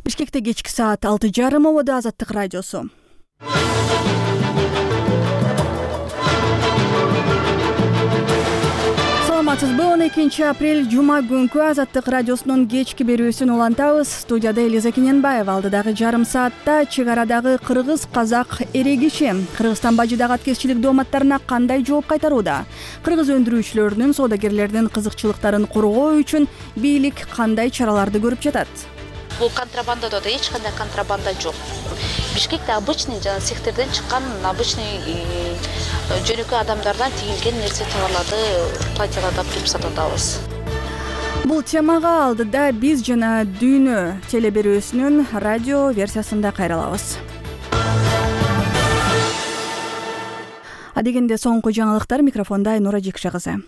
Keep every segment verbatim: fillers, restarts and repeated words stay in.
Бишкекте кечки саат алты жарым ободо Азаттык радиосу. Саламатсызбы? он экинчи апрель жума күнкү Азаттык радиосунун кечки берүүсүн улантабыз. Студияда Элиза Кененбаева. Алдыдагы жарым саатта чек арадагы кыргыз-казак эрегиши Кыргызстан бажыдагы аткезчилик дооматтарына кандай жооп кайтарууда? Кыргыз өндүрүүчүлөрүнүн, соодагерлердин кызыкчылыктарын коргоо үчүн бийлик кандай чараларды көрүп жатат? Бул контрабандада да эч кандай контрабанда жок. Бишкекте обычный жана цехтерден чыккан обычный жөнөкөй адамдардан тигилген нерсе товарларды платьяларды туруп сатып атабыз. Бул темага алдыда биз жана Дүйнө телеберүүсүнүн радио версиясында кайрылабыз. Адегенде соңку жаңылыктар, микрофонда Айнура Жекше кызы.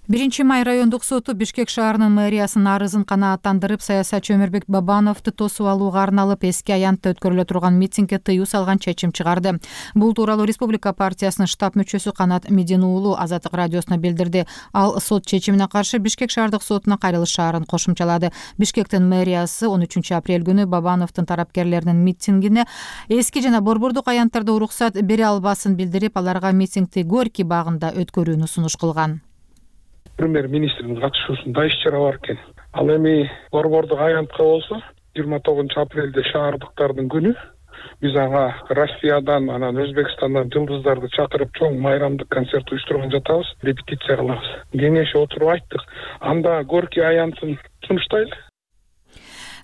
биринчи май райондук соту Бишкек шаарынын мэриясынын арызын канааттандырып, саясатчы Өмүрбек Бабановду тосуп алууга арналып эски аянтта өткөрүлө турган митингге тыюу салган чечим чыгарды. Бул тууралуу Республика партиясынын штаб мүчөсү Канат Медин уулу Азаттык радиосуна билдирди. Ал сот чечимине каршы Бишкек шаардык сотуна кайрылышаарын кошумчалады. Бишкектин мэриясы он үчүнчү апрель күнү Бабановдун тарапкерлеринин митингине эски жана борбордук аянттарда уруксат бере албасын билдирип, аларга митингди Горький багында өткөрүүнү сунуш кылган. Премьер-министрдин катышуусунда иш-чара бар экен. Ал эми борбордук аянтка болсо жыйырма тогузунчу апрелде шаардыктардын күнү. Биз ага Россиядан, анан Өзбекстандан жылдыздарды чакырып чоң майрамдык концерт уюштурган жатабыз, репетиция кылабыз. Кеңешип отуруп айттык. Анда Горький аянтын сунуштайлы,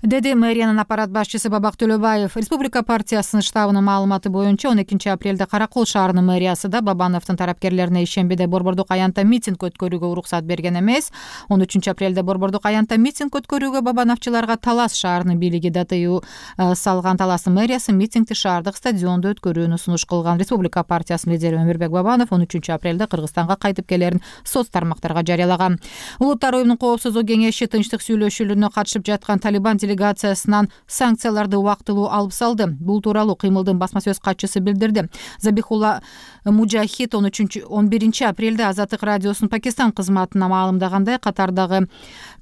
деди мэриянын аппарат башчысы Бабак Төлөбаев. Республика партиясынын штабынын маалыматы боюнча он экинчи апрелде Каракол шаарынын мэриясы да Бабановдун тарапкерлерине ишембиде борбордук аянтта митинг өткөрүүгө уруксат берген эмес. он үчүнчү апрелде борбордук аянтта митинг өткөрүүгө Бабановчуларга Талас шаарынын бийлиги да тыюу салган. Таластын мэриясы митингди шаардык стадиондо өткөрүүнү сунуш кылган. Республика партиясынын лидери Өмүрбек Бабанов он үчүнчү апрелде Кыргызстанга кайтып келерин соц тармактарга жарыялаган. Улуттар уюмунун коопсуздук кеңеши тынчтык сүйлөшүүлөрүнө катышып жаткан Талибан делегациясынан санкцияларды убактылуу алып салды. Бул тууралуу кыймылдын басма сөз катчысы билдирди. Забихулла Мужахид он үчүнчү он биринчи апрелде Азаттык радиосунун Пакистан кызматына маалымдагандай, Катардагы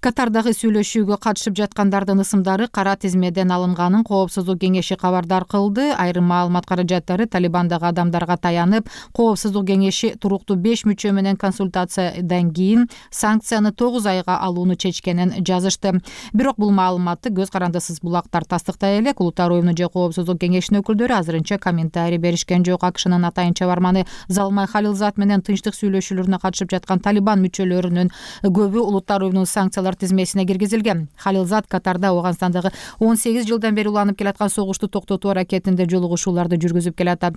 Катардагы сүйлөшүүгө катышып жаткандардын ысымдары кара тизмеден алынганын коопсуздук кеңеши кабардар кылды. Айрым маалымат каражаттары Талибандагы адамдарга таянып, коопсуздук кеңеши туруктуу беш мүчө менен консультациядан кийин санкцияны тогуз айга алууну чечкенин жазышты. Бирок бул маалыматты көз карандысыз булактар тастыктай элек. Улуттар уюмунун же коопсуздук кеңешинин өкүлдөрү азырынча комментарий беришкен жок. АКШнын атайын чабарманы Залмай Халилзат менен тынчтык сүйлөшүүлөрүнө катышып жаткан Талибан мүчөлөрүнүн көбү улуттар уюмунун санкциялар тизмесине киргизилген. Халилзат Катарда Афганистандагы он сегиз жылдан бери уланып келаткан согушту токтотуу аракетинде жолугушууларды жүргүзүп келатат.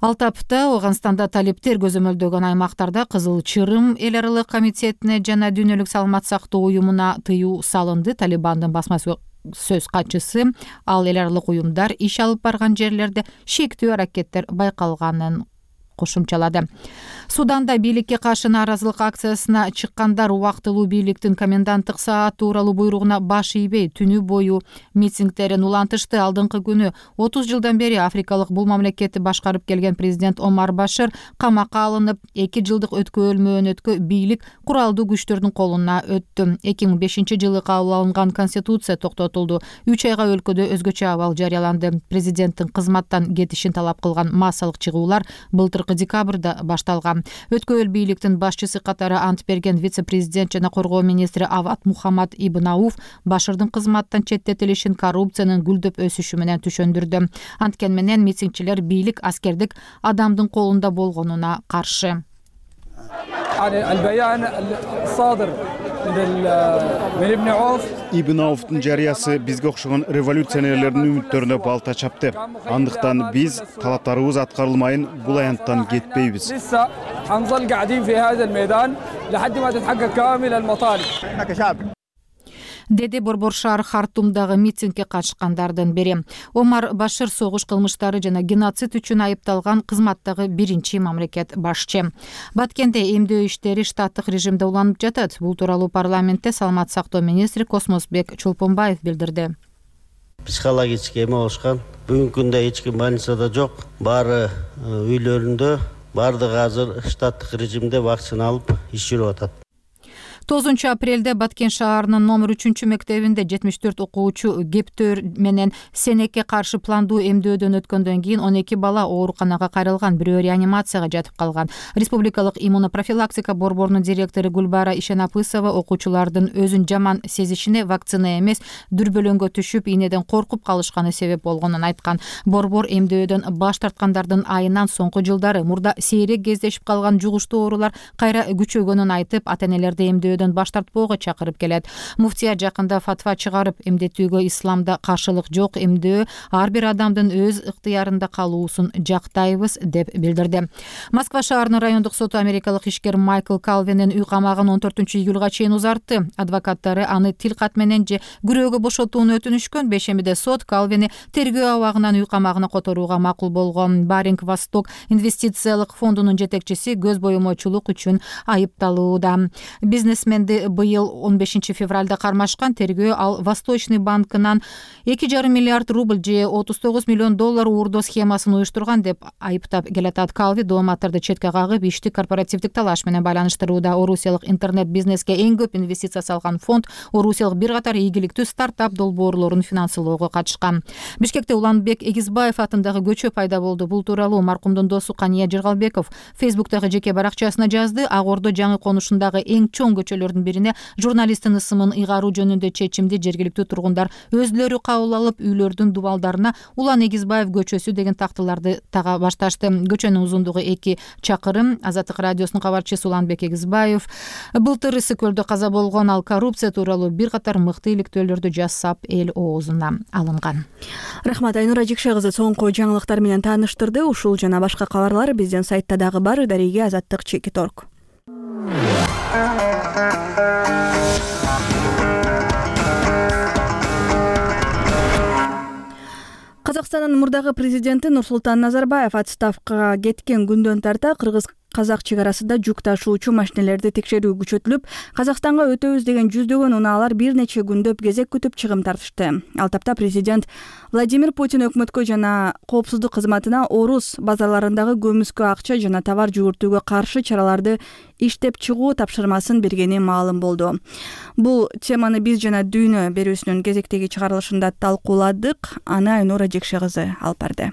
Ал тапта Афганистанда талиптер көзөмөлдөгөн аймактарда Кызыл Чырым эл аралык комитетине жана Дүйнөлүк саламат сактоо уюмуна тыюу салынды. Талибандын басма сөз катчысы ал эл аралык уюмдар иш алып барган жерлерде шектүү аракеттер байкалганын кошумчалады. Суданда бийликке каршы нааразылык акциясына чыккандар убактылуу бийликтин коменданттык саат тууралуу буйругуна баш ийбей түнү бою митингдерин улантышты. Алдыңкы күнү отуз жылдан бери Африкалык бул мамлекетти башкарып келген президент Омар Башир камакка алынып, эки жылдык өткөөл мөөнөткө бийлик куралдуу күчтөрдүн колуна өттү. эки миң бешинчи жылы кабыл алынган конституция токтотулду. үч айга өлкөдө өзгөчө абал жарыяланды. Президенттин кызматтан кетишин талап кылган массалык чыгуулар былтыркы декабрда башталган. Өткөөл бийликтин башчысы катары ант берген вице-президент жана коргоо министри Ават Мухаммад Ибн Ауф Башырдын кызматтан четтетилишин коррупциянын гүлдөп өсүшү менен түшөндүрдү. Анткени менен митингчилер бийлик аскердик адамдын колунда болгонуна каршы. Ибн Ауфтун жарыясы бизге окшогон революционерлердин үмүттөрүнө балта чапты. Андыктан биз талаптарыбыз аткарылмайын бул аянттан кетпейбиз. деди Борбор шаар Хартумдагы митингге катышкандардын бири. Омар Башир согуш кылмыштары жана геноцид үчүн айыпталган кызматтагы биринчи мамлекет башчы. Баткенде эмдөө иштери штаттык режимде уланып жатат. Бул тууралуу парламентте саламат сактоо министри Космосбек Чолпонбаев билдирди. Психологически эме болушкан. Бүгүнкү күндө эч ким больницада жок. Баары үйлөрүндө, бардыгы азыр штаттык режимде вакцина алып иш жүрүп атат. тогузунчу апрелде Баткен шаарынын номер үчүнчү мектебинде жетимиш төрт окуучу кептөр менен сенекке каршы пландуу эмдөөдөн өткөндөн кийин он эки бала ооруканага кайрылган, бирөө реанимацияга жатып калган. Республикалык иммунопрофилактика борборунун директору Гүлбара Ишенапысова окуучулардын өзүн жаман сезишине вакцина эмес, дүрбөлөңгө түшүп, ийнеден коркуп калышканы себеп болгонун айткан. Борбор эмдөөдөн баш тарткандардын айынан соңку жылдары мурда сейрек кездешип калган жугуштуу оорулар кайра күчөгөнүн айтып, ата-энелерди эмдөөдөн баш тартпоого чакырып келет. Муфтия жакында фатва чыгарып, эмдетүүгө исламда каршылык жок, эмдөө ар бир адамдын өз ыктыярында калуусун жактайбыз деп билдирди. Москва шаарынын райондук соту америкалык ишкер Майкл Калвинин үй камагын он төртүнчү июлга чейин узартты. Адвокаттары аны тил кат менен же күрөөгө бошотууну өтүнүшкөн. Бейшембиде сот Калвини тергөө абагынан үй камагына которууга макул болгон. Баринг Восток инвестициялык фондунун жетекчиси көз боюмочулук үчүн айыпталууда. Бизнесменди быйыл он бешинчи февралда кармашкан. Тергөө ал Восточный банкынан эки жарым миллиард рубль же отуз тогуз миллион доллар уурдоо схемасын уюштурган деп айыптап келатат. Калви дооматтарды четке кагып, ишти корпоративдик талаш менен байланыштырууда. Орусиялык интернет бизнеске эң көп инвестиция салган фонд Орусиялык бир катар ийгиликтүү стартап долбоорлорун финансылоого катышкан. Бишкекте Уланбек Эгизбаев атындагы көчө пайда болду. Бул тууралуу маркумдун досу Кания Жыргалбеков Фейсбуктагы жеке баракчасына жазды. Ак Ордо жаңы конушундагы эң чоң көчөлөрдүн бирине журналисттин ысымын ыйгаруу жөнүндө чечимди жергиликтүү тургундар өздөрү кабыл алып, үйлөрдүн дубалдарына Улан Эгизбаев көчөсү деген тактыларды тага башташты. Көчөнүн узундугу эки чакырым. Азаттык радиосунун кабарчысы Уланбек Эгизбаев былтыр Ысык көлдө каза болгон, ал коррупция тууралуу бир катар мыкты иликтөөлөрдү жасап, эл оозуна алынган. Рахмат, Айнура Жекше кызы соңку жаңылыктар менен тааныштырды. Ушул жана башка кабарлар биздин сайтта дагы бар. Дареге азаттык чекит точка орг. Казакстандын мурдагы президенти Нурсултан Назарбаев отставкага кеткен күндөн тарта кыргыз-казак чек арасында жүк ташуучу машинелерди текшерүү күчөтүлүп, Казакстанга өтөбүз деген жүздөгөн унаалар бир нече күндөп кезек күтүп чыгым тартышты. Ал тапта президент Владимир Путин өкмөткө жана коопсуздук кызматына орус базарларындагы көмүскө акча жана товар жүгүртүүгө каршы чараларды иштеп чыгуу тапшырмасын бергени маалым болду. Бул теманы биз жана Дүйнө берүүсүнүн кезектеги чыгарылышында талкууладык. Аны Айнура Жекше кызы алып барды.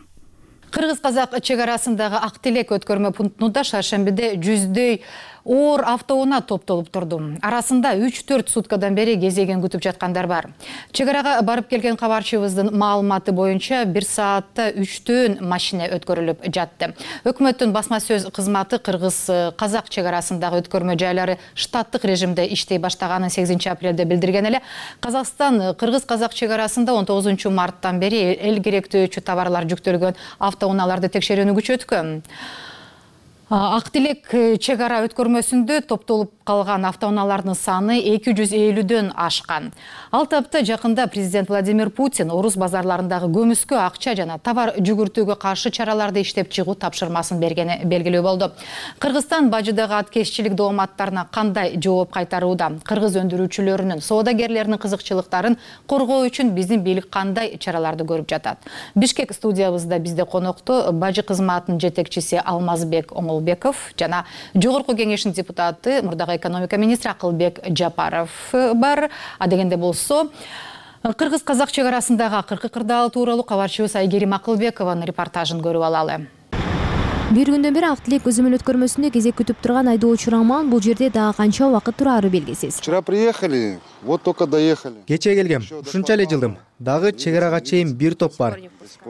Кыргыз-казак чек арасындагы Ак Тилек өткөрмө пунктунда шаршембиде жүздөй оор автоунаа топтолуп турду. Арасында үч төрт суткадан бери кезегин күтүп жаткандар бар. Чек арага барып келген кабарчыбыздын маалыматы боюнча бир саатта үчтөн машина өткөрүлүп жатты. Өкмөттүн басма сөз кызматы кыргыз-казак чек арасындагы өткөрмө жайлары штаттык режимде иштей баштаганын сегизинчи апрелде билдирген эле. Казакстан кыргыз-казак чек арасында он тогузунчу марттан бери эл керектөөчү товарлар жүктөлгөн автоунааларды текшерүүнү күчөткөн. Ак Тилек чек ара өткөрмөсүндө топтолуп калган автоунаалардын саны эки жүз элүүдөн ашкан. Ал тапта жакында президент Владимир Путин орус базарларындагы көмүскө акча жана товар жүгүртүүгө каршы чараларды иштеп чыгуу тапшырмасын бергени белгилүү болду. Кыргызстан бажыдагы аткезчилик дооматтарына кандай жооп кайтарууда? Кыргыз өндүрүүчүлөрүнүн, соодагерлеринин кызыкчылыктарын коргоо үчүн биздин бийлик кандай чараларды көрүп жатат? Бишкек студиябызда бизде конокто бажы кызматынын жетекчиси Алмазбек Оңолбеков жана жогорку кеңештин депутаты, мурдагы экономика министри Акылбек Жапаров бар. А дегенде болсо, кыргыз-казак чек арасындагы акыркы кырдаал тууралуу кабарчыбыз Айгерим Акылбекованын репортажын көрүп алалы. Бир күндөн бери Ак Тилек көзөмөл өткөрмөсүндө кезек күтүп турган айдоочу Роман бул жерде дагы канча убакыт турары белгисиз. Вчера приехали, вот только доехали. Кече келгем, ушунча эле жылдым. Дагы чек арага чейин бир топ бар.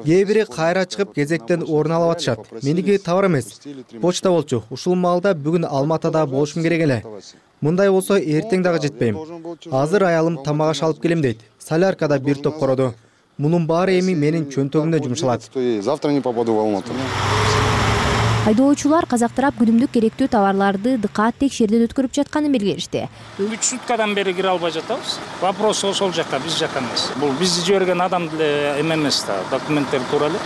Кээ бири кайра чыгып кезектен орун алып атышат. Меники товар эмес, почта болчу. Ушул маалда бүгүн Алматада болушум керек эле. Мындай болсо эртең дагы жетпейм. Азыр аялым тамак аш алып келем дейт. Соляркада бир топ короду. Мунун баары эми менин чөнтөгүмдө жумшалат. Завтра не попаду в Алмату. Айдоочулар казак тарап күнүмдүк керектүү товарларды дыкаат текшерүүдөн өткөрүп жатканын белгилешти. үч суткадан бери кире албай жатабыз. Вопрос ошол жакка, биз жакка эмес. Бул биз жиберген адам деле эме эмес да, документтер туура эле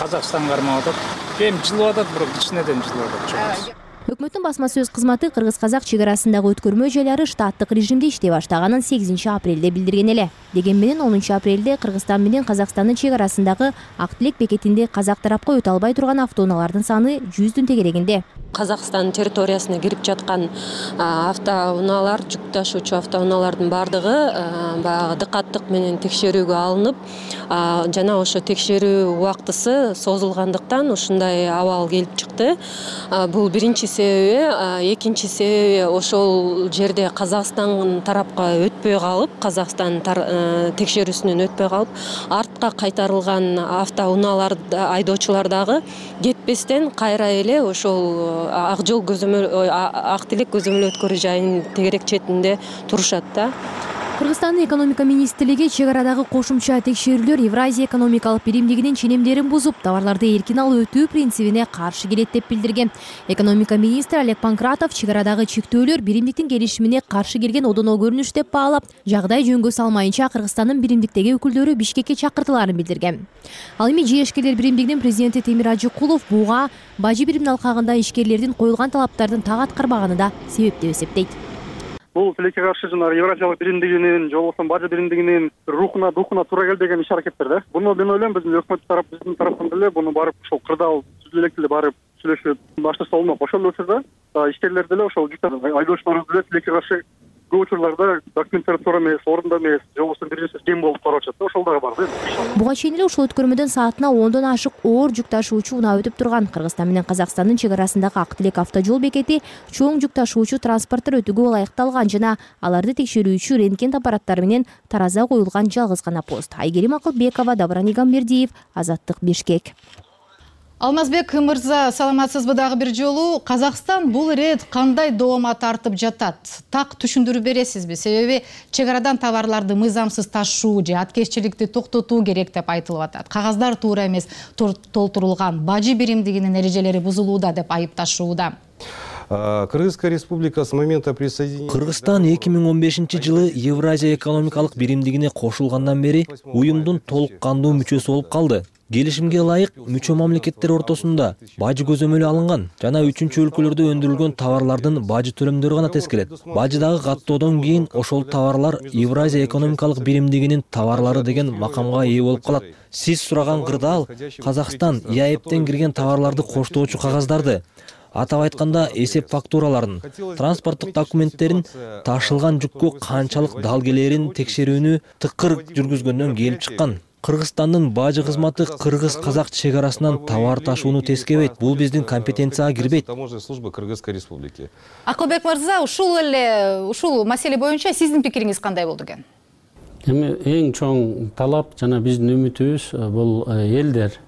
Казакстанга кармап атат. Эми жылып атат, бирок кичинеден жылып атат. Өкмөттүн басма сөз кызматы кыргыз-казак чек арасындагы өткөрмө жайлары штаттык режимде иштей баштаганын сегизинчи апрелде билдирген эле. Деген менен онунчу апрелде Кыргызстан менен Казакстандын чек арасындагы Ак Тилек бекетинде казак тарапка өтө албай турган автоунаалардын саны жүздүн тегерегинде. Казакстан территориясына кирип жаткан автоунаалар, жүк ташуучу автоунаалардын бардыгы баягы дыкаттык менен текшерүүгө алынып, жана ошо текшерүү убактысы созулгандыктан ушундай абал келип чыкты. Бул биринчи себеби, экинчи себеби ошол жерде Казакстан тарапка өтпөй калып, Казакстан текшерүүсүнөн өтпөй калып, артка кайтарылган автоунаалар айдоочулар дагы кетпестен кайра эле ошол ак жол көзөмөл ак тилек көзөмөл өткөрүү жайынын тегерек четинде турушат да. Кыргызстандын экономика министрлиги чек арадагы кошумча текшерүүлөр Евразия экономикалык биримдигинин ченемдерин бузуп, товарларды эркин алып өтүү принцибине каршы келет деп билдирген. Экономика министри Олег Панкратов чек арадагы чектөөлөр биримдиктин келишимине каршы келген одоно көрүнүш деп баалап, жагдай жөнгө салмайынча Кыргызстандын биримдиктеги өкүлдөрү Бишкекке чакыртыларын билдирген. Ал эми жээшкерлер биримдигинин президенти Темир Ажыкулов буга бажы биримин алкагында ишкерлердин коюлган талаптардын так аткарбаганы да себеп деп эсептейт. Бул тилекке каршы жана Евразиялык биримдигинин, же болбосо бажы биримдигинин рухуна, духуна туура келбеген иш-аракеттер да. Буну мен ойлойм, биздин өкмөт тарап, биздин тараптан деле буну барып ошол кырдаал түзүлө элек деле барып сүйлөшүп баштаса болмок. Ошол эле учурда ишкерлер деле ошол айдоочулар деле тилекке каршы көп учурларда документтер туура эмес, орунда эмес, же болбосо бир нерсе кем болуп карап атат да, ошол дагы бар да. Буга чейин эле ушул өткөрмөдөн саатына ондон ашык оор жүк ташуучу унаа өтүп турган. Кыргызстан менен Казакстандын чек арасындагы Ак Тилек автожол бекети чоң жүк ташуучу транспорттор өтүүгө ылайыкталган жана аларды текшерүүчү рентген аппараттары менен тараза коюлган жалгыз гана пост. Айгерим Акылбекова, Dabran Игамбердиев, Азаттык, Бишкек. Алмазбек мырза, саламатсызбы дагы бир жолу? Казакстан бул ирет кандай доомат тартып жатат? Так түшүндүрүп бересизби? Себеби чек арадан товарларды мыйзамсыз ташуу же аткезчиликти токтотуу керек деп айтылып атат. Кагаздар туура эмес толтурулган, бажы биримдигинин эрежелери бузулууда деп айыпташууда. Кыргызская республика с момента присоединения Кыргызстан эки миң он бешинчи жылы Евразия экономикалык биримдигине кошулгандан бери уюмдун толук кандуу мүчөсү болуп калды. Келишимге ылайык мүчө мамлекеттер ортосунда бажы көзөмөлү алынган жана үчүнчү өлкөлөрдө өндүрүлгөн товарлардын бажы төлөмдөрү гана тескелет. Бажыдагы каттоодон кийин ошол товарлар Евразия экономикалык биримдигинин товарлары деген макамга ээ болуп калат. Сиз сураган кырдаал Казакстан ИАЭПтен кирген товарларды коштоочу кагаздарды, атап айтканда эсеп фактураларын, транспорттук документтерин, ташылган жүккө канчалык дал келерин текшерүүнү тыкыр жүргүзгөндөн келип чыккан. Кыргызстандын бажы кызматы кыргыз-казак чек арасынан товар ташууну тескебейт. Бул биздин компетенцияга кирбейт. Таможенная служба Кыргызской республики. Акылбек мырза, ушул эле ушул маселе боюнча сиздин пикириңиз кандай болду экен? Эми эң чоң талап жана биздин үмүтүбүз бул элдер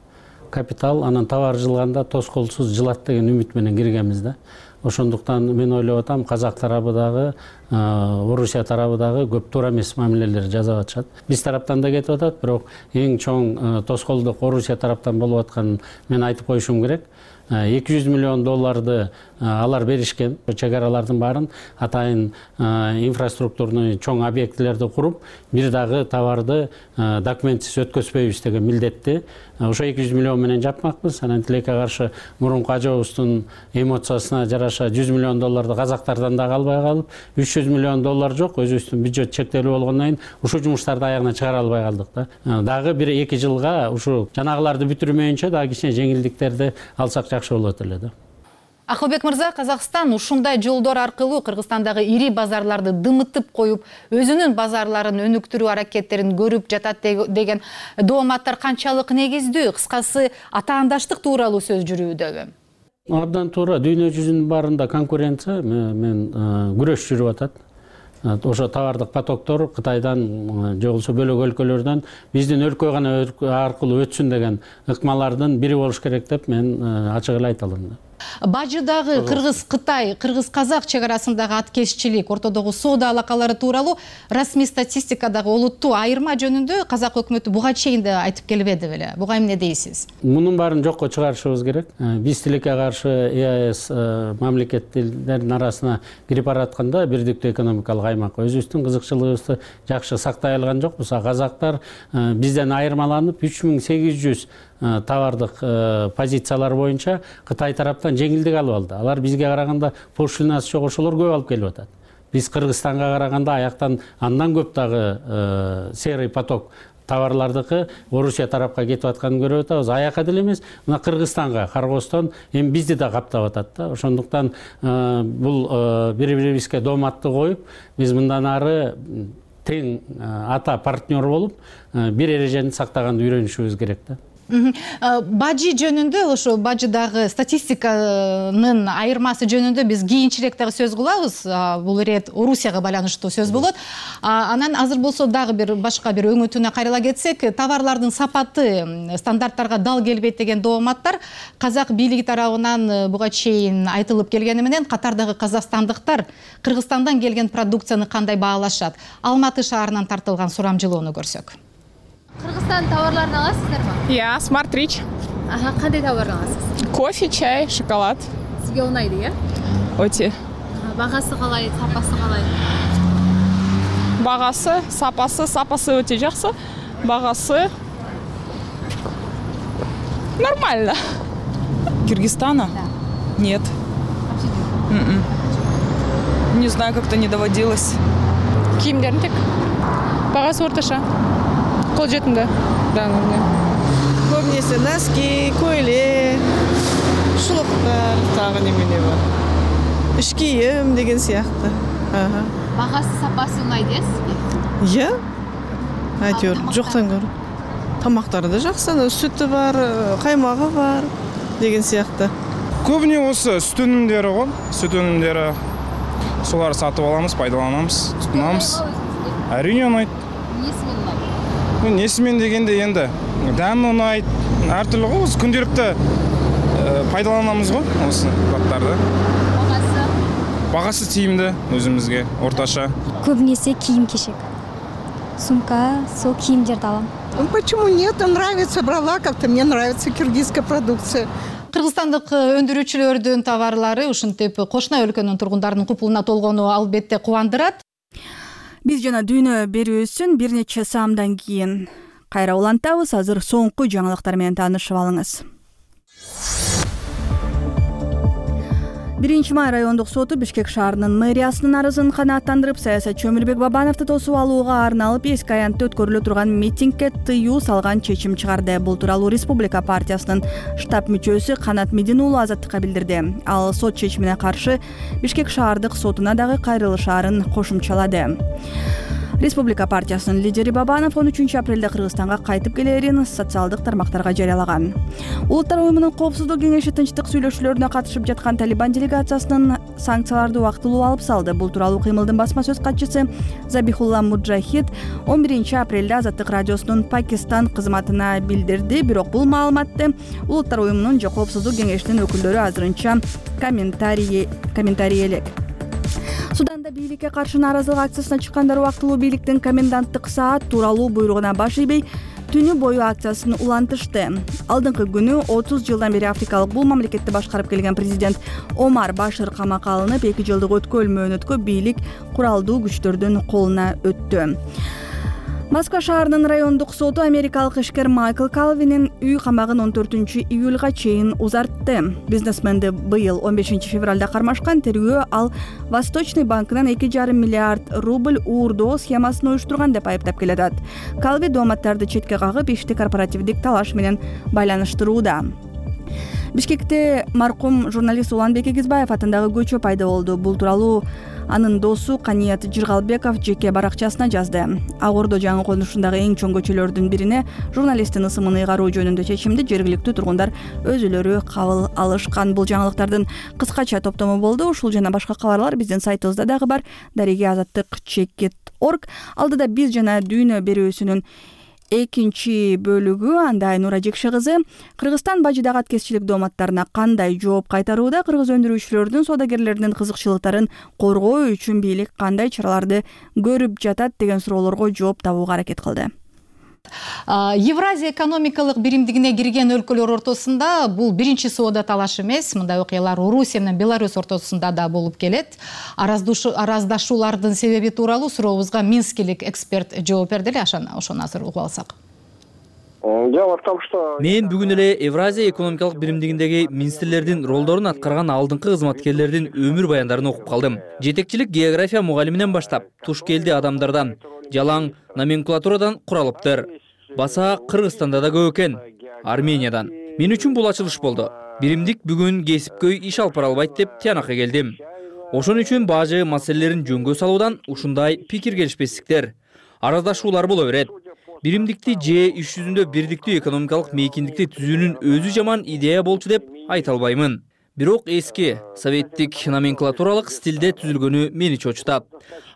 капитал анан товар жылганда тоскоолсуз жылат деген үмүт менен киргенбиз да. Ошондуктан мен ойлоп атам, казак тарабы дагы, Орусия тарабы дагы көп туура эмес мамилелер жасап атышат. Биз тараптан да кетип атат, бирок эң чоң тоскоолдук Орусия тараптан болуп атканын мен айтып коюшум керек. эки жүз миллион долларды алар беришкен. Чек аралардын баарын атайын инфраструктурный чоң объектилерди куруп, бир дагы товарды документсиз өткөзбөйбүз деген милдетти. Ошо эки жүз миллион менен жапмакпыз. Анан тилекке каршы мурунку ажообуздун эмоциясына жараша жүз миллион долларды казактардан дагы албай калып, үч жүз миллион доллар жок, өзүбүздүн бюджет чектелүү болгондон кийин ушул жумуштарды аягына чыгара албай калдык да. Дагы бир эки жылга ушу жанагыларды бүтүрмөйүнчө дагы кичине жеңилдиктерди алсак жакшы болот эле да. Акылбек мырза, Казакстан ушундай жолдор аркылуу Кыргызстандагы ири базарларды дымытып коюп, өзүнүн базарларын өнүктүрүү аракеттерин көрүп жатат деген дооматтар канчалык негиздүү? Кыскасы, атаандаштык тууралуу сөз жүрүүдөбү? Абдан туура. Дүйнө жүзүнүн баарында конкуренция мен күрөш жүрүп атат. Ошо товардык потоктор Кытайдан же болбосо бөлөк өлкөлөрдөн биздин өлкө гана аркылуу өтсүн деген ыкмалардын бири болуш керек деп мен ачык эле айта алам. Бажыдагы Кыргыз-Кытай, Кыргыз-Казак чек арасындагы аткезчилик, ортодогу соода алакалары тууралуу расмий статистикадагы олуттуу айырма жөнүндө казак өкмөтү буга чейин да айтып келбеди беле? Буга эмне дейсиз? Мунун баарын жокко чыгарышыбыз керек. Биз тилекке каршы ЕАЭС мамлекеттердин арасына кирип баратканда бирдиктүү экономикалык аймак өзүбүздүн кызыкчылыгыбызды жакшы сактай алган жокпуз. Казактар бизден айырмаланып үч миң сегиз жүз товардык позициялар боюнча Кытай тараптан жеңилдик алып алды. Алар бизге караганда пошлинасы жок ошолор көп алып келип атат. Биз Кыргызстанга караганда аяктан андан көп дагы серый поток товарлардыкы Орусия тарапка кетип атканын көрүп атабыз. Аяка деле эмес, мына Кыргызстанга, Каргостон эми бизди да каптап атат да. Ошондуктан бул бири-бирибизге дооматты коюп, биз мындан ары тең ата партнер болуп, бир эрежени сактаганды үйрөнүшүбүз керек да. Бажы жөнүндө, ошо бажыдагы статистиканын айырмасы жөнүндө биз кийинчерээк дагы сөз кылабыз. Бул ирет Орусияга байланыштуу сөз болот. Анан азыр болсо дагы бир башка бир өңөтүнө кайрыла кетсек, товарлардын сапаты стандарттарга дал келбейт деген дооматтар казак бийлиги тарабынан буга чейин айтылып келгени менен катардагы казакстандыктар Кыргызстандан келген продукцияны кандай баалашат? Алматы шаарынан тартылган сурамжылоону көрсөк. Кыргызстан товарларын аласыздарбы? Я, Smart Rich. Ага, кандай товар аласыз? Кофе, чай, шоколад. Сизге унайды, э? Өте. Багасы калай, сапасы калай? Багасы, сапасы, сапасы өте жакшы. Багасы нормально. Кыргызстана? Да. Нет. Вообще нет? Не знаю, как-то не доводилось. Кийимдерин тек. Багасы орташа. Кол жетимде. Да, да. Көбүнесе носки, көйлек, шулуктар, тагы немелер бар. Иш кийим деген сыяктуу. Багасы, сапасы унайды, э, сизге? Иә. Айтор, жоктон көрүп. Тамактары да жакшы, сүтү бар, каймагы бар деген сыяктуу. Көбүнө осы сүт өнүмдөрү го, сүт өнүмдөрү. Соларды сатып алабыз, пайдаланабыз, тутунабыз. Әрине унайт. Несімен дегенде енді дәмі ұнайды, әртүрлі ғой, осы күнделікті пайдаланамыз ғой осы заттарды. Бағасы? Бағасы тиімді өзімізге, орташа. Көбінесе киім-кешек. Сумка, сол киімдерді алам. Почему нет? Нравится, брала как-то, мне нравится киргизская продукция. Кыргызстандык өндүрүүчүлөрдүн товарлары ушинтип кошуна өлкөнүн тургундарынын купулуна толгону албетте кубандырат. Биз жана дүйнө берүүсүн бир нече саамдан кийин кайра улантабыз. Азыр соңку жаңылыктар менен таанышып алыңыз. биринчи май райондук соту Бишкек шаарынын мэриясынын арызын канааттандырып, саясатчы Өмүрбек Бабановду тосуп алууга арналып эски аянтта өткөрүлө турган митингге тыюу салган чечим чыгарды. Бул тууралуу Республика партиясынын штаб мүчөсү Канат Медин уулу Азаттыкка билдирди. Ал сот чечимине каршы Бишкек шаардык сотуна дагы кайрылышаарын кошумчалады. Республика партиясынын лидери Бабанов он үчүнчү апрелде Кыргызстанга кайтып келерин социалдык тармактарга жарыялаган. Улуттар уюмунун коопсуздук кеңеши тынчтык сүйлөшүүлөрүнө катышып жаткан Талибан делегациясынын санкцияларды убактылуу алып салды. Бул тууралуу кыймылдын басма сөз катчысы Забихулла Муджахид он биринчи апрелде Азаттык радиосунун Пакистан кызматына билдирди. Бирок бул маалыматты Улуттар уюмунун же коопсуздук кеңешинин өкүлдөрү азырынча комментарий комментарий элек. Суданда бийликке каршы нааразылык акциясына чыккандар убактылуу бийликтин коменданттык саат тууралуу буйругуна баш ийбей түнү бою акциясын улантышты. Алдыңкы күнү отуз жылдан бери Африкалык бул мамлекетти башкарып келген президент Омар Башир камакка алынып, эки жылдык өткөл мөөнөткө бийлик куралдуу күчтөрдүн колуна өттү. Москва шаарынын райондук соту америкалык ишкер Майкл Калвинин үй камагын он төртүнчү июлга чейин узартты. Бизнесменди быйыл он бешинчи февралда кармашкан тергөө ал Восточный банкынан эки жарым миллиард рубль уурдоо схемасын уюштурган деп айыптап келатат. Калви дооматтарды четке кагып, ишти корпоративдик талаш менен байланыштырууда. Бишкекте маркум журналист Уланбек Эгизбаев атындагы көчө пайда болду. Бул тууралуу анын досу Каният Жыргалбеков жеке баракчасына жазды. Ак Ордо жаңы конушундагы эң чоң көчөлөрдүн бирине журналисттин ысымын ыйгаруу жөнүндө чечимди жергиликтүү тургундар өзүлөрү кабыл алышкан. Бул жаңылыктардын кыскача топтому болду. Ушул жана башка кабарлар биздин сайтыбызда дагы бар. Дареги азаттык чекит орг. Алдыда биз жана дүйнө берүүсүнүн экинчи бөлүгү. Анда Айнура Жекше кызы Кыргызстан бажыдагы аткезчилик дооматтарына кандай жооп кайтарууда, кыргыз өндүрүүчүлөрдүн, содагерлердин кызыкчылыктарын коргоо үчүн бийлик кандай чараларды көрүп жатат деген суроолорго жооп табууга аракет кылды. Евразия экономикалык биримдигине кирген өлкөлөр ортосунда бул биринчи соода талаш эмес. Мындай окуялар Орусия менен Беларусь ортосунда да болуп келет. Араздашуулардын себеби тууралуу сурообузга минскилик эксперт жооп берди эле. Ошону азыр угуп алсак. Дело в том, что Мен бүгүн эле Евразия экономикалык биримдигиндеги министрлердин ролдорун аткарган алдыңкы кызматкерлердин өмүр баяндарын окуп калдым. Жетекчилик география мугалиминен баштап туш келди адамдардан, жалаң номенклатурадан куралыптыр. баса Кыргызстанда да көп экен, Армениядан. Мен үчүн бул ачылыш болду. Биримдик бүгүн кесипкөй иш алып бара албайт деп тыянакка келдим. Ошон үчүн бажы маселелерин жөнгө салуудан ушундай пикир келишпестиктер, араздашуулар боло берет. Биримдикти же иш жүзүндө бирдиктүү экономикалык мейкиндикти түзүүнүн өзү жаман идея болчу деп айта албаймын. Бирок эски советтик номенклатуралык стилде түзүлгөнү мени чочутат.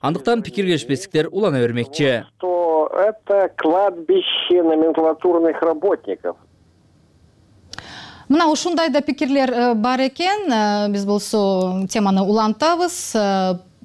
Андыктан пикир келишпестиктер улана бермекчи. Что это кладбище номенклатурных работников. Мына ушундай да пикирлер бар экен. Биз болсо теманы улантабыз.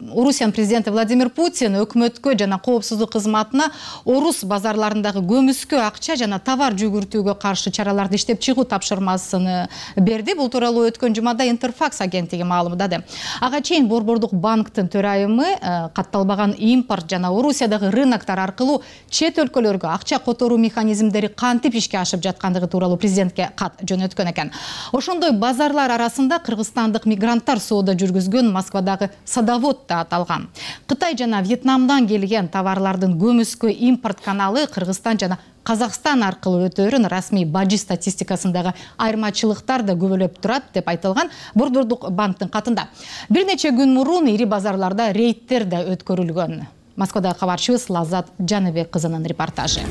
Орусиянын президенти Владимир Путин өкмөткө жана коопсуздук кызматына орус базарларындагы көмүскө акча жана товар жүгүртүүгө каршы чараларды иштеп чыгуу тапшырмасын берди. Бул тууралуу өткөн жумада Интерфакс агенттиги маалымдады. Ага чейин Борбордук банктын төрайымы катталбаган импорт жана Орусиядагы рыноктор аркылуу чет өлкөлөргө акча которуу механизмдери кантип ишке ашып жаткандыгы тууралуу президентке кат жөнөткөн экен. Ошондой базарлар арасында кыргызстандык мигранттар соода жүргүзгөн Москвадагы садовод аталган. Кытай жана Вьетнамдан келген товарлардын көмүскө импорт каналы Кыргызстан жана Казакстан аркылуу өтөөрүн расмий бажы статистикасындагы айырмачылыктар да көбөлөп турат деп айтылган Борбордук банктын катында. Бир нече күн мурун ири базарларда рейдтер да өткөрүлгөн. Москвадагы кабарчыбыз Лаззат Жаныбек кызынын репортажы.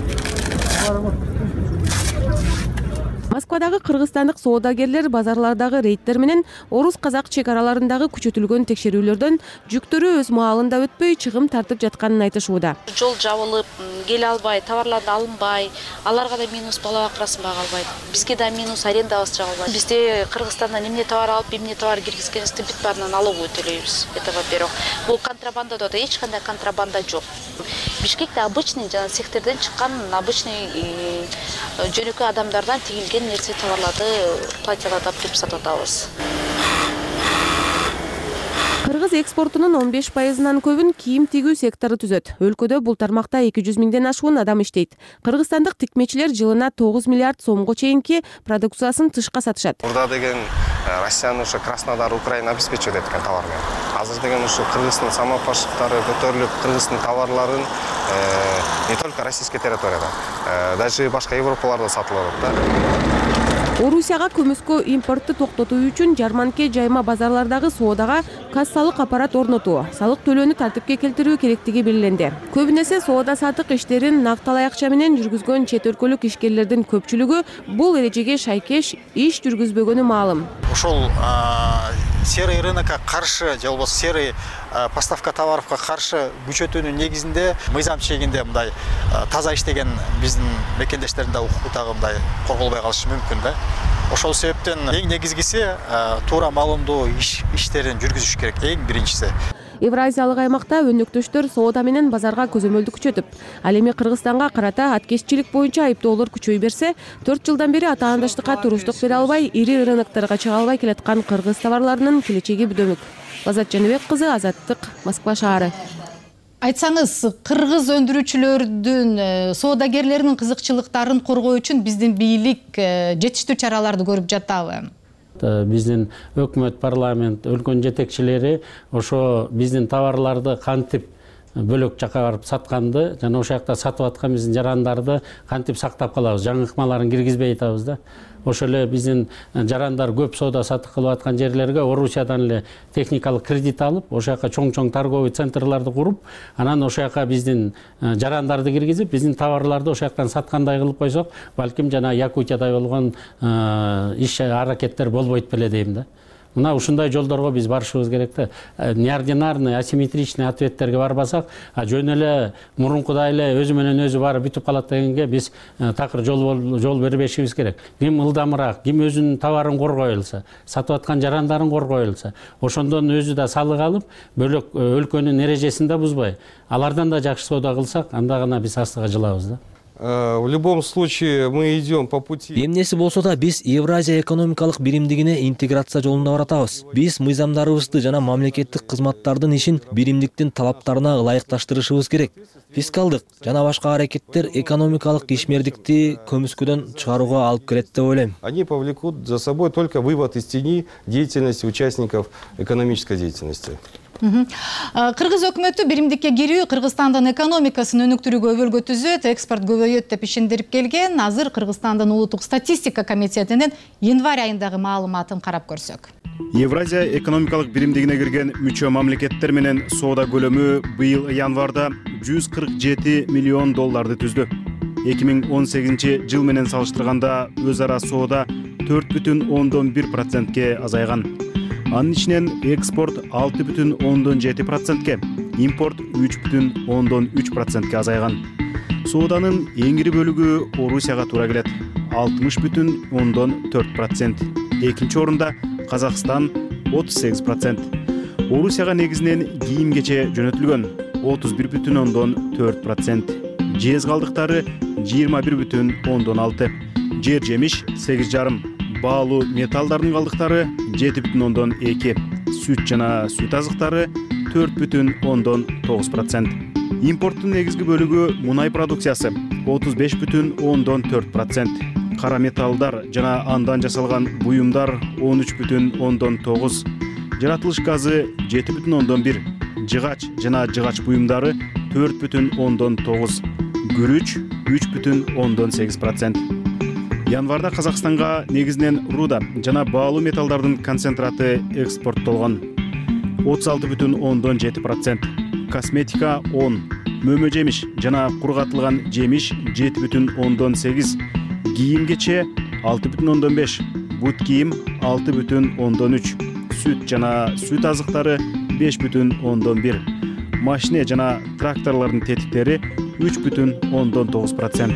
Москвадагы кыргызстандык соодагерлер базарлардагы рейдтер менен орус-казак чек араларындагы күчөтүлгөн текшерүүлөрдөн жүктөрү өз маалында өтпөй чыгым тартып жатканын айтышууда. Жол жабылып, келе албай, товарларды алынбай, аларга да минус балабак расмага албайт. Бизге да минус аренда чыга албайт. Бизде Кыргызстандан эмне товар алып, эмне товар киргизгенибизди бүт баарынан налоговый төлөйбүз. Это во-первых. Бул контрабанда да эч кандай контрабанда жок. Бишкекте обычный жана цехтерден чыккан обычный жөнөкөй адамдардан тигилген нерсе товарларды платьяларды алып сатып атабыз. Кыргыз экспортунун он беш пайызынан көбүн кийим тигүү сектору түзөт. Өлкөдө бул тармакта эки жүз миңден ашуун адам иштейт. Кыргызстандык тикмечилер жылына тогуз миллиард сомго чейинки продукциясын тышка сатышат. Бурда деген Россияны ушу Краснодар, Украина обеспечивает эткен товар менен. Азыр деген ушу Кыргыздын самопашыктары көтөрүлүп, Кыргыздын товарларын не только российский территорияда, даже башка Европаларда сатылып атат. Орусияга көмүскө импортты токтотуу үчүн жарманке жайма базарлардагы соодага кассалык аппарат орнотуу, салык төлөөнү тартипке келтирүү керектиги белгиленди. Көбүнесе соода сатык иштерин накталай акча менен жүргүзгөн чет өлкөлүк ишкерлердин көпчүлүгү бул эрежеге шайкеш иш жүргүзбөгөнү маалым. Ошол серый рынокко каршы же болбосо серый поставка товаровго каршы күчөтүүнүн негизинде мыйзам чегинде мындай таза иштеген биздин мекендештердин да укугу дагы мындай корголбой калышы мүмкүн да. Ошол себептен эң негизгиси туура маалымдоо иштерин жүргүзүш керек, эң биринчиси. Евразиялык аймакта өнөктөштөр соода менен базарга көзөмөлдү күчөтүп, ал эми Кыргызстанга карата аткезчилик боюнча айыптоолор күчөй берсе, төрт жылдан бери атаандаштыкка туруштук бере албай, ири рынокторго чыга албай келаткан кыргыз товарларынын келечеги бүдөмүк. Лаззат Жаныбек кызы, Азаттык, Москва шаары. Айтсаңыз, кыргыз өндүрүүчүлөрдүн, соодагерлеринин кызыкчылыктарын коргоо үчүн биздин бийлик жетиштүү чараларды көрүп жатабы? Биздин өкмөт, парламент, өлкөнүн жетекчилери ошо биздин товарларды кантип бөлөк жака барып сатканды жана ошол жакта сатып аткан биздин жарандарды кантип сактап калабыз, жаңы ыкмаларын киргизбей атабыз да. Ошол эле биздин жарандар көп соода сатык кылып аткан жерлерге Орусиядан эле техникалык кредит алып, ошол жака чоң-чоң торговый центрларды куруп, анан ошол жака биздин жарандарды киргизип, биздин товарларды ошол жактан саткандай кылып койсок, балким жана Якутияда болгон иш аракеттер болбойт беле дейм да. Мына ушундай жолдорго биз барышыбыз керек да. Неординарный, асимметричный ответтерге барбасак, жөн эле мурункудай эле өзү менен өзү барып бүтүп калат дегенге биз такыр жол жол бербешибиз керек. Ким ылдамыраак, ким өзүнүн товарын коргой алса, сатып аткан жарандарын коргой алса, ошондон өзү да салык алып, бөлөк өлкөнүн эрежесин да бузбай, алардан да жакшы соода кылсак, анда гана биз астыга жылабыз да. В любом случае мы идем по пути. Эмнеси болсо да биз Евразия экономикалык биримдигине интеграция жолунда баратабыз. Биз мыйзамдарыбызды жана мамлекеттик кызматтардын ишин биримдиктин талаптарына ылайыкташтырышыбыз керек. Фискалдык жана башка аракеттер экономикалык ишмердикти көмүскөдөн чыгарууга алып келет деп ойлойм. Они повлекут за собой только вывод из тени деятельности участников экономической деятельности. Кыргыз өкмөтү биримдикке кирүү Кыргызстандын экономикасын өнүктүрүүгө өбөлгө түзөт, экспорт көбөйөт деп ишендирип келген. Азыр Кыргызстандын улуттук статистика комитетинин январь айындагы маалыматын карап көрсөк. Евразия экономикалык биримдигине кирген мүчө мамлекеттер менен соода көлөмү быйыл январда жүз кырк жети миллион долларды түздү. эки миң он сегизинчи жыл менен салыштырганда өз ара соода төрт бүтүн ондон бир процентке азайган. Анын ичинен экспорт алты бүтүн ондон жети процентке, импорт үч бүтүн ондон үч процентке азайган. Сооданын эң ири бөлүгү Орусияга туура келет, алтымыш бүтүн ондон төрт процент. Экинчи орунда Казакстан отуз сегиз процент. Орусияга негизинен кийим кече жөнөтүлгөн, отуз бир бүтүн ондон төрт процент. Жез калдыктары жыйырма бир бүтүн ондон алты. Жер жемиш сегиз жарым. Баалуу металлдардын калдыктары жети бүтүн ондон эки. Сүт жана сүт азыктары төрт бүтүн ондон тогуз процент. Импорттун негизги бөлүгү мунай продукциясы отуз беш бүтүн ондон төрт процент. Кара металлдар жана андан жасалган буюмдар он үч бүтүн ондон тогуз. Жаратылыш газы жети бүтүн ондон бир. Жыгач жана жыгач буюмдары төрт бүтүн ондон тогуз. Күрүч үч бүтүн ондон сегиз процент. Январда Казакстанга негизинен руда жана баалуу металлдардын концентраты экспорттолгон. отуз алты бүтүн ондон жети процент. Косметика он. Мөмө жемиш жана кургатылган жемиш жети бүтүн ондон сегиз. Кийим кече алты бүтүн ондон беш. Бут кийим алты бүтүн ондон үч. Сүт жана сүт азыктары беш бүтүн ондон бир. Машине жана тракторлордун тетиктери үч бүтүн ондон тогуз процент.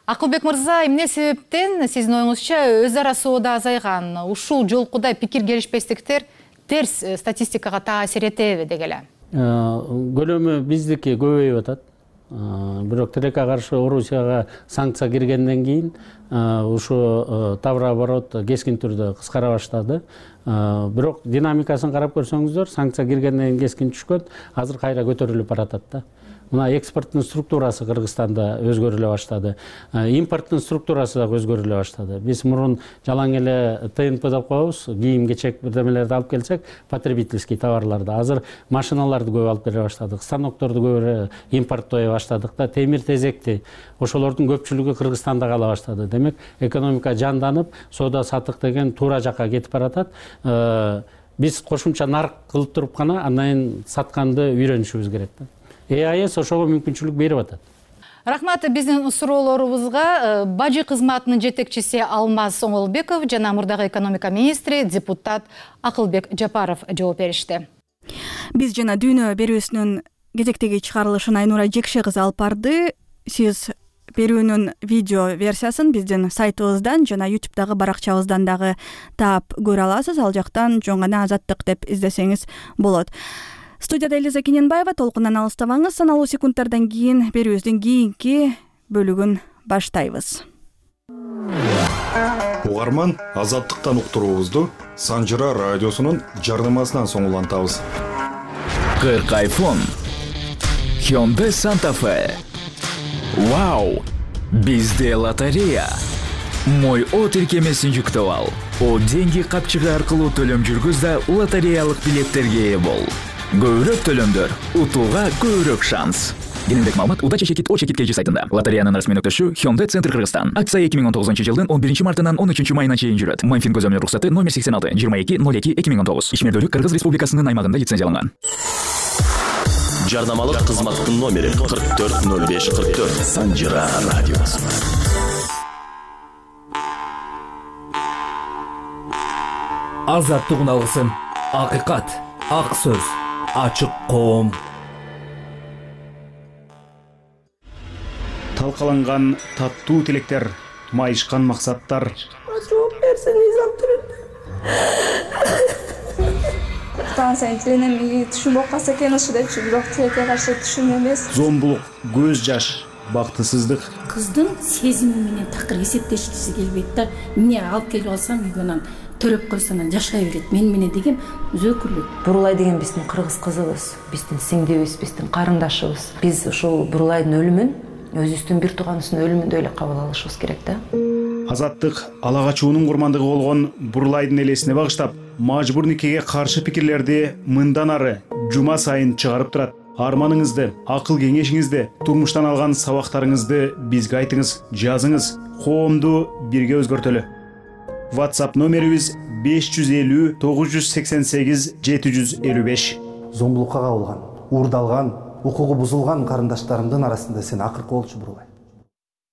Акылбек мырза, эмне себептен сиздин оюңузча өз ара соода азайган? Ушул жолкуда пикир келишпестиктер терс статистикага таасир этеби деги эле? Көлөмү биздики көбөйүп атат. Бирок тилекке каршы Орусияга санкция киргенден кийин ушу товар оборот кескин түрдө кыскара баштады. Бирок динамикасын карап көрсөңүздөр, санкция киргенден кийин кескин түшкөн, азыр кайра көтөрүлүп баратат да. Мына экспорттун структурасы Кыргызстанда өзгөрүлө баштады. Импорттун структурасы да өзгөрүлө баштады. Биз мурун жалаң эле ТНП деп коебуз, кийим кечек бирдемелерди алып келсек, потребительский товарларды. Азыр машиналарды көп алып келе баштадык, станокторду көп импорттой баштадык да, темир тезекти. Ошолордун көпчүлүгү Кыргызстанда кала баштады. Демек, экономика жанданып, соода саттык деген туура жакка кетип баратат. Биз кошумча нарык кылып туруп гана андан кийин сатканды үйрөнүшүбүз керек да. ЭАЭС ошого мүмкүнчүлүк берип атат. Рахмат, биздин суроолорубузга бажы кызматынын жетекчиси Алмаз Оңолбеков жана мурдагы экономика министри депутат Акылбек Жапаров жооп беришти. Биз жана дүйнө берүүсүнүн кезектеги чыгарылышын Айнура Жекше кызы алып барды. Сиз берүүнүн видео версиясын биздин сайтыбыздан жана ютубтагы баракчабыздан дагы таап көрө аласыз. Ал жактан жөн гана Азаттык деп издесеңиз болот. Студияда Элиза Кененбаева, толкундан алыстабаңыз. Саналуу секундтардан кийин берүүбүздүн кийинки бөлүгүн баштайбыз. Угарман, Азаттыктан уктуруубузду Санжыра радиосунун жардамасынан соң улантабыз. кырк айфон, Hyundai Santa Fe. Вау! Бизде лотерея. Мой О тиркемесин жүктөп ал. О деньги капчыгы аркылуу төлөм жүргүз да лотереялык билеттерге ээ бол. Көбүрөөк төлөмдөр, утууга көбүрөөк шанс. Кененирээк маалымат Уда чечекит О чекит кж сайтында. Лотереянын расмий өктөшү Hyundai Центр Кыргызстан. Акция эки миң он тогузунчу жылдын он биринчи мартынан он үчүнчү майына чейин жүрөт. Майнфин көзөмөл уруксаты номер сексен алты жыйырма эки ноль эки эки миң он тогуз. Ишмердүүлүк Кыргыз Республикасынын аймагында лицензияланган. Жардамалык кызматтын номери кырк төрт ноль беш кырк төрт. Санжыра радиосу. Азаттык алгысын, акыйкат, ак сөз, ачык коом. Талкаланган таттуу тилектер, майышкан максаттар. Жооп берсең изамтырып. Станция тилинен түшүн болуп калса экен ушу депчи, бирок тилекке каршы түшүн эмес. Зомбулук, көз жаш, бактысыздык. Кыздын сезими менен такыр эсептешкиси келбейт да. Эмне алып келип алсам үйгөнөн төрөп койсо анан жашай берет. Мен менен деген өзөкүрлүк. Бурулай деген биздин кыргыз кызыбыз, биздин сиңдибиз, биздин карындашыбыз. Биз ушул Бурулайдын өлүмүн өзүбүздүн бир тууганыбыздын өлүмүндөй эле кабыл алышыбыз керек да. азаттык ала качуунун курмандыгы болгон Бурлайдын элесине багыштап мажбур никеге каршы пикирлерди мындан ары жума сайын чыгарып турат. Арманыңызды, акыл кеңешиңизди, турмуштан алган сабактарыңызды бизге айтыңыз, жазыңыз, коомду бирге өзгөртөлү. WhatsApp номерибиз беш жүз элүү тогуз жүз сексен сегиз жети жүз элүү беш. Зомбулукка кабылган, уурдалган, укугу бузулган карындаштарымдын арасында сен акыркы болчу Бурлай.